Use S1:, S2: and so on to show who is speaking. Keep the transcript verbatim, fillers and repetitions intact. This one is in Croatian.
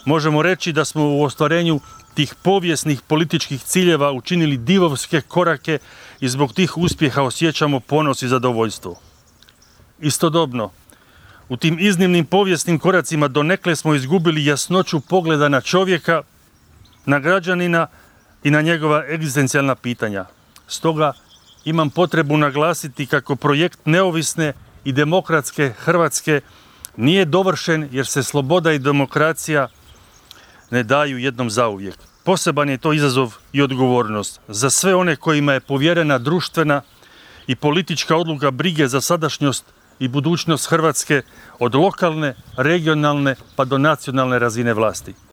S1: Možemo reći da smo u ostvarenju tih povijesnih političkih ciljeva učinili divovske korake i zbog tih uspjeha osjećamo ponos i zadovoljstvo. Istodobno, u tim iznimnim povijesnim koracima donekle smo izgubili jasnoću pogleda na čovjeka, na građanina i na njegova egzistencijalna pitanja. Stoga imam potrebu naglasiti kako projekt neovisne i demokratske Hrvatske nije dovršen jer se sloboda i demokracija ne daju jednom zauvijek. Poseban je to izazov i odgovornost za sve one kojima je povjerena društvena i politička odluka brige za sadašnjost i budućnost Hrvatske od lokalne, regionalne pa do nacionalne razine vlasti.